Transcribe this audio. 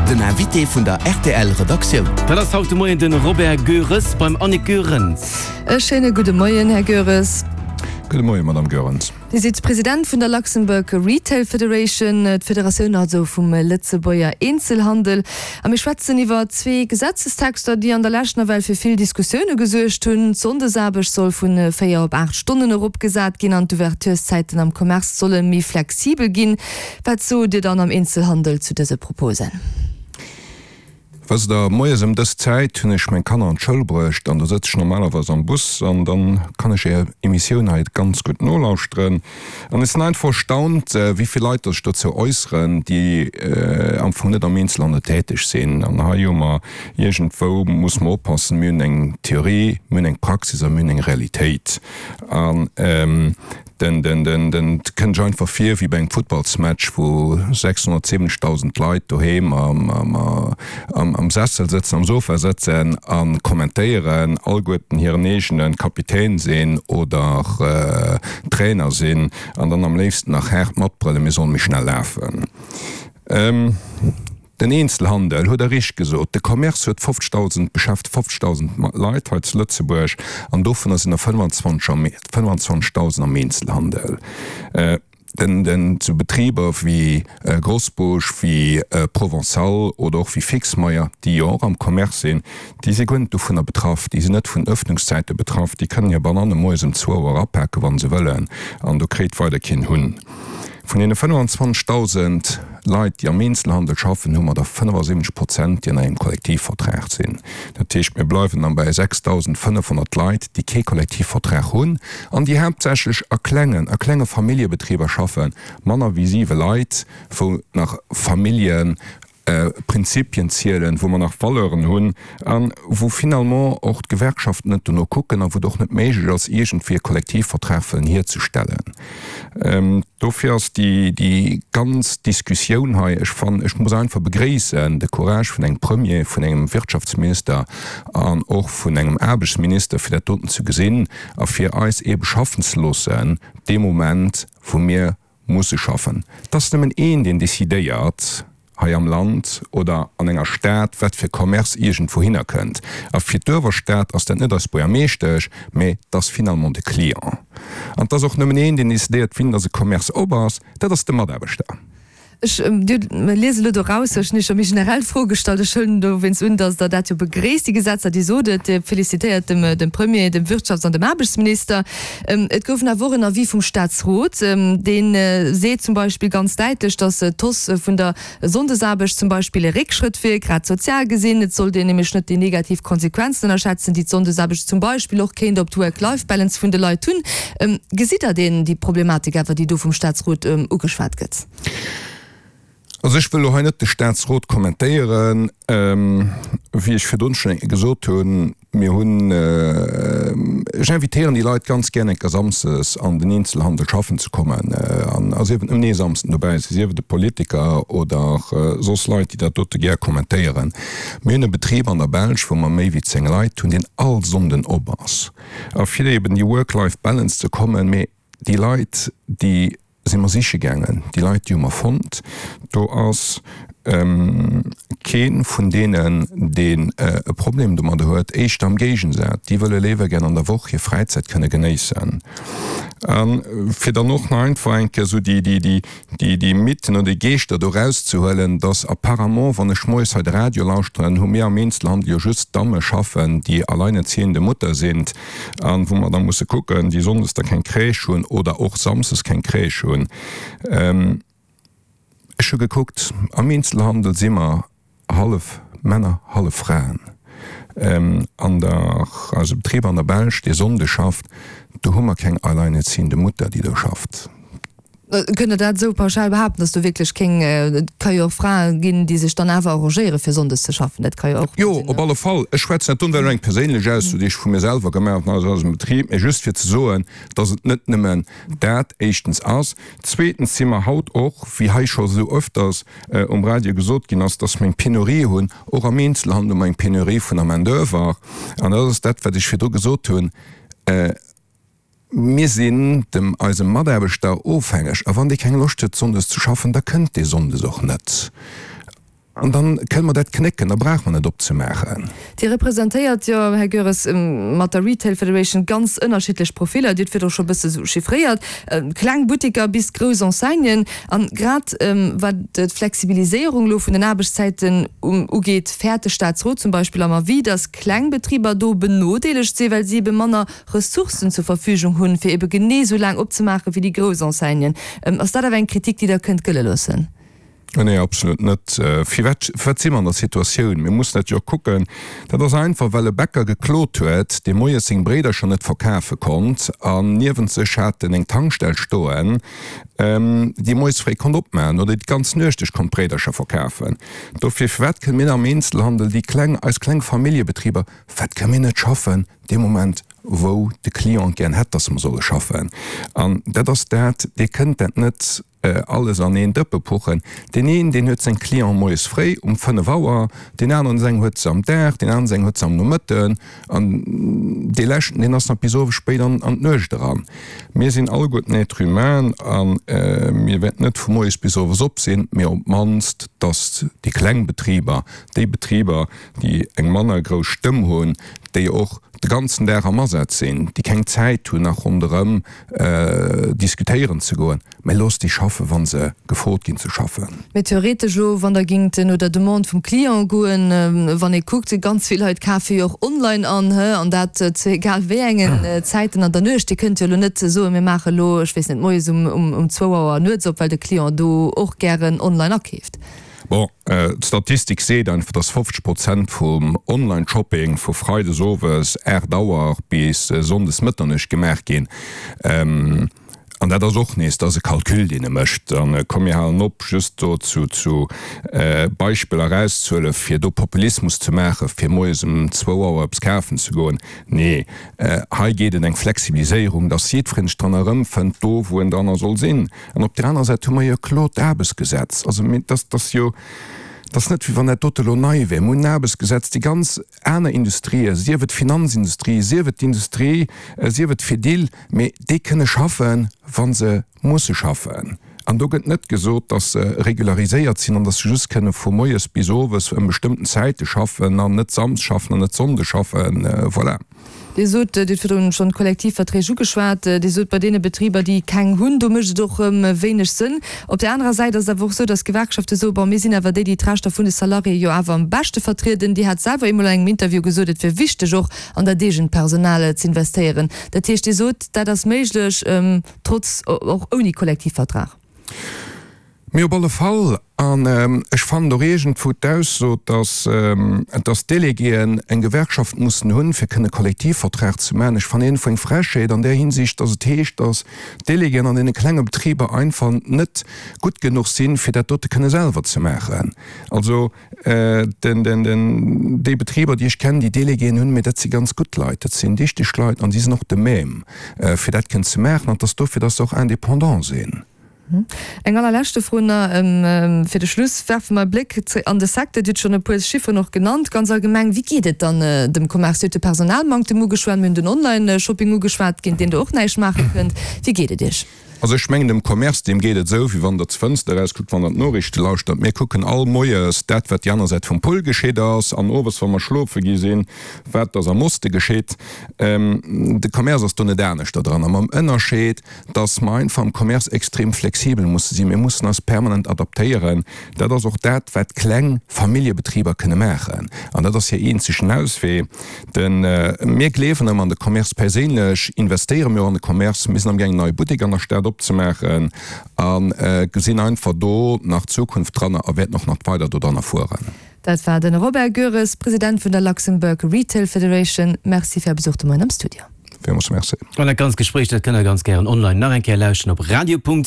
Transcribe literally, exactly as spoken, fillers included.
Den Invité vun der R T L Redaktioun. Dat ass haut de Moien de Robert Goeres beim Annick Goerens. E schéine gudde Moien, Här Goeres. Gudde Moien, Madame Goerens. Dir sidd President vun der Luxembourg Retail Federation, d'Federatioun also vum Lëtzebuerger Eenzelhandel. A mir schwätzen iwwer zwee Gesetzestexter, déi an der Lescht nawell fir vill Diskussioune gesuergt hunn. D'Sonndesaarbecht soll vu véier op aacht Stonnen eropgesat ginn an d'Ouvertureszäiten am Commerce solle méi flexibel ginn. Wat sot Dir dann am Eenzelhandel zu dëse Proposen? Wësst Der, moies ëm dës Zäit hunn ech meng Kanner an d'Schoul bruecht an do sëtz ech normalerweis am Bus an dann kann ech Är Emissioun hei ganz gutt nolauschteren. An ech sinn einfach erstaunt, wéi vill Leit der sech dozou äusseren, déi am Fong net am Eenzelhandel täteg sinn. An hei hu mer iergendwou, muss mer oppassen, mir hunn eng Theorie, mir hunn eng Praxis a mir hunn eng Realitéit. An Den, den, den, den, et kënnt sech einfach vir wéi bei engem Futtballsmatch, wou sechshonnertsiwwenzegdausend Leit doheem am, am, am, am Sessel sëtzen, am Sofa sëtzen a kommentéieren, alleguerten hiren eegene Kapitän sinn oder Trainer sinn an dann am léifsten nach haart matbrëllen, mir sollen méi schnell lafen. Den Eenzelhandel, huet Der richteg gesot, de Commerce huet fofzegdausend, beschäftegt fofzegdausend Leit hei zu Lëtzebuerg an dovunner sinn der fënnwanzwanzegdausend am Eenzelhandel. Den, den, zu Betriber wéi Grosbusch, wéi Provençal oder och wéi Fixmeyer, déi jo och am Commerce sinn, déi si guer net dovunner betraff, déi sinn net vun Öffnungszäite betraff, déi kënnen hir Bananne moies ëm zwou Auer apaken, wa se wëllen, an do kréit weider keen Hunn. Vun deene fënnwanzwanzegdausend Leit, déi am Eenzelhandel schaffen, hu mer der fënnefasiwwenzeg Prozent, déi an engem Kollektivvertrag sinn. Dat heescht, mir bleiwen dann bei sechsdausendfënnefhonnert Leit, déi kee Kollektivvertrag hunn an déi haaptsächlech a klengen, a klenge Familljebetriber schaffen, manner wéi siwe Leit, wou nach Familljen, Prinzipien zielen, wou mer nach Valeuren hunn a wou finalement och d'Gewerkschaften net dono kucken a wou et och net méiglech ass, iergendwéi e Kollektivvertrag wëllen hierzestellen. Dofir ass déi, déi ganz Diskussioun hei, ech fannen, ech muss einfach begréissen de Courage vun engem Premier, vun engem Wirtschaftsminister an och vun engem Aarbechtsminister, fir dat doten ze gesinn a fir eis eebe schaffen ze loossen dee Moment, wou mir musse schaffen. Et ass nëmmen een, deen decidéiert hei am Land oder an enger Stad, wat fir Commerce iergendwouhinner kënnt. A fir d'Uewerstad ass dat net eis Buergermeeschtesch, mä et ass finalement de Client. An et ass och nëmmen een, deen decidéiert, wien dass e Commerce op ass, dat ass de Mataarbechter. Ech liese elo doraus, ech hunn Iech jo méi generell d'Fro gestallt, ech huelen dowéinst un, datt Der dat jo begréisst, déi Gesetzer. Dir sot et, Dir felicitéiert dem, dem Premier, dem Wirtschafts an dem Aarbechtsminister. Et gouf awer och en Avis vum Staatsrot, dee seet zum Beispill ganz däitlech, datt d'Hausse vun der Sonndesaarbecht zum Beispill e Réckschrëtt wier, grad sozial gesinn. Et sollt een nämlech net déi negativ Konsequenzen ënnerschätzen, déi d'Sonndesaarbecht zum Beispill och kéint op d'Work-Life-Balance vun de Leit hunn. Gesitt Der deen, déi Problematik awer, déi do vum Staatsrot ugeschwat gëtt? Also ech wëll elo hei net de Staatsrot kommentéieren. Wéi ech virdrun schonn eng Kéier gesot hunn, mir hunn, ech invitéieren déi Leit ganz gär eng Kéier samsdes an den Eenzelhandel schaffen ze kommen. An a sief et nëmmen ee Samsden dobäi si, sief et e Politiker oder soss Leit, déi dat dote gär kommentéieren. Mir hunn e Betrib an der Belsch, wou mer méi wéi zéng Leit hunn, deen all Sonnden op ass. A fir eben déi Work-Life-Balance ze kommen, mee déi Leit, déi si mer siche gaangen. Déi Leit, déi hu mer fonnt. Do ass kee vun deenen, deen e Problem domadder huet. Éischter am Géigensaz, déi wëlle léiwer gär an der Woch hir Fräizäit kënne genéissen. A fir dann och nach einfach eng Kéier esou déi Mythen oder déi Geeschter do erauszehuelen, dass apparemment, wann ech moies hei de Radio lauschteren, hu mir am Eenzelhandel jo just Damme schaffen, déi alleinerziehende Mutter sind. An wou mer da musse kucken, déi sonndes da keng Crèche hunn oder och samsdes keng Crèche hunn. Ech hu gekuckt, am Eenzelhandel si mer hallef Männer, hallef Fraen. An der, eise Betrib an der Belsch, dee Sonnde schafft, do hu mer keng alleinerziehende Mutter, déi do schafft. Kënnt Der dat esou pauschal behaapten, dass do wierklech kéng, et ka jo och Frae ginn, déi sech dann awer arrangéiere fir sonndes ze schaffen, dat ka jo och Jo, op alle Fall. Ech schwätzen dat do net eng perséinlech Ausso, déi ech vu mir selwer gemaach hunn aus eisem Betrib, mee just fir ze soen, dass et net nëmmen dat éischtens ass. Zweetens si mer haut och, wéi hei scho esou öfters um Radio gesot ginn ass, dass mer eng Penurie hunn, och am Eenzelhandel hu mer eng Penurie vun der Main-d'oeuvre. An dat ass dat, wat ech virdru gesot hunn. Mir sinn dem eisem Mataarbechter ofhängeg, a wann dee keng Loscht huet sonndes ze schaffen, da kënnt dee sonndes och net. An dann kënne mer dat knécken, da brauche mer net opzemaachen. Dir representéiert jo, Här Goeres, mat der Retail Federation ganz ënnerschiddlech Profiller. Dir hutt virdru scho e bësse sou chiffréiert, kleng Butteker bis grouss Enseignen. An grad wat d'Flexibiliséierung elo vun den Aarbechtszäiten ugeet, fäert de Staatsrot zum Beispill am Avis, datt kleng Betriber do benodeelegt sinn, well si ebe manner Ressourcen zur Verfügung hunn, fir ebe genee esou laang opzemaachen, wéi déi grouss Enseignen. Ass dat awer eng Kritik, déi Der kënnt gëlle loossen? Nee, absolut net. Firwat, firwat si mer an der Situatioun? Mir mussen dat jo och kucken. Dat ass einfach, well e Bäcker geklot huet, dee moies seng Bréidercher net verkafe konnt an niewent sech hat en eng Tankstell stoen, déi moies fréi konnt opmachen oder déi d'ganz Nuecht duerch konnt Bréidercher verkafen. Dofir, firwat kënne mir am Eenzelhandel, déi kleng, eis kleng Familljebetriber, firwat kënne mir net schaffen dee Moment, wou de Client gären hätt, dass mer solle schaffen? An dat ass dat, Dir kënnt dat net alles an een Dëppe puchen. Deen een, deen huet seng Clienten moies fréi um fënnef Auer, deen aneren seng huet se am Dag, deen aneren seng huet se am Nomëtten an dee leschten, deen ass nach bis owes spéit an an d'Nuecht eran. Mir sinn alleguerten Êtres humains a mir wäerten net vu moies bis owes op sinn, mee op d'mannst, dass déi kleng Betriber, déi Betriber, déi eng manner grouss Stëmm hunn, déi och de ganzen Dag am Asaz sinn, déi keng Zäit hunn nach ronderëm diskutéieren ze goen, mä loosst déi schaffen, wa se gefrot ginn ze schaffen. Mee theoretesch elo, wann Der gingt no der Demande vum Client goen, wann ee kuckt, ganz vill Leit kafe jo och online an, an dat zu egal wéi engen Zäiten an der Nuecht. Dir kënnt jo elo net soen, mir maache elo, ech weess net, moies um zwou Auer nuets op, well de Client do och gären online akeeft. Bon, d'Statistik seet einfach, dass fofzeg Prozent vum Online-Shopping vu freides owes aacht Auer bis sonndes Mëtternuecht gemaach ginn. An dat ass och nees, dat ass e Calcul, deen e mécht. An komm, mir halen op, just do zu zu Beispiller erauszehuelen, fir do Populismus ze maachen, fir moies um zwou Auer eppes kafen ze goen. Nee, hei geet et eng Flexibiliséierung, dass jiddwereen sech dran erëmfënnt, do wou en dranner soll sinn. An op där anerer Säit hu mer jo e klot Aarbechtsgesetz. Also mir, dass dass jo, dat ass net, wéi wann dat dote elo nei wär. Mir hunn en Aarbechtsgesetz, déi ganz aner Industrien, sief et d'Finanzindustrie, sief et d'Industrie, sief et d'Fedil, mee déi kënne schaffen, wa se musse schaffen. An do gëtt net gesot, dass se regulariséiert sinn an dass se just kënne vu moies bis owes ëm bestëmmten Zäite schaffen an net samsdes schaffen an net sonndes schaffen. Voilà. Dir sot, Dir hutt virdrun schonn d'Kollektivverträg ugeschwat, Dir sot, bei deene Betriber, déi keng hunn, do mécht et och wéineg Sënn. Op där anerer Säit ass et awer och esou, datt d'Gewerkschafte soen, bon, mir sinn awer déi, déi d'Rechter vun de Salariéë jo awer am beschte vertrieden. Dir hat selwer eemol an engem Interview gesot, et wier wichteg och an dat eegent Personal z'investéieren. Dat heescht, Dir sot, dat ass méiglech, trotz, och ouni Kollektivvertrag. Mee op alle Fall, an ech fannen och iergendwou d'Ausso, dass, dass d'Déléguéen eng Gewerkschaft mussen hunn, fir kënne Kollektivvertrag ze maachen, ech fannen iergendwou eng Frechheet an där Hinsicht, dass et heescht, dass d'Déléguéen an deene klenge Betriber einfach net gutt genuch sinn, fir dat dote kënne selwer ze maachen. Also den, den, den, déi Betriber, déi ech kennen, déi Déléguéen hunn, mee dat si ganz gutt Leit, dat sinn dichteg Leit an si sinn och de même, fir dat kënnen ze maachen, an et ass dofir, dass se och indépendant sinn. Eng allerleschte Fro nach fir de Schluss. Werfe mer e Bléck an de Secteur. Dir hutt schonn e puer Chifferen och genannt. Ganz allgemeng, wéi geet et dann dem Commerce? Dir hutt de Personalmanktem ugeschwat, mir hunn den Online-Shopping ugeschwat, géint deen Der och näischt maache kënnt. Wéi geet et Iech? Also ech mengen, dem Commerce, deem geet et esou, wéi wann Der d'Fënster erauskuckt, wann Der d'Noriichte lauschtert. Mir kucken all moies dat, wat déi aner Säit vum Pull geschitt ass, an owes, wa mer schlofe gi sinn, wat dass am Oste geschitt. De Commerce ass do net aneschter dran, a mam Ënnerscheed, dass mer einfach am Commerce extrem flexibel musse sinn. Mir mussen eis permanent adaptéieren. Dat ass och dat, wat kleng Familljebetriber kënne maachen. An dat ass hir eenzegen Auswee. Den, mir gleewen ëmmer an de Commerce. Perséinlech investéiere mir och an de Commerce. Mir sinn amgaangen, en neie Buttek an der Stad opzemaachen a gesinn einfach do nach Zukunft dranner a wäerten och nach weider dodranner fueren. Dat war de Robert Goeres, President vun der Luxembourg Retail Federation. Merci fir Är Besuch de Moien am Studio. Villmools Merci. An dat ganzt Gespréich, dat kënnt der ganz gären online nach eng Kéier lauschten op radio.rtl.lu.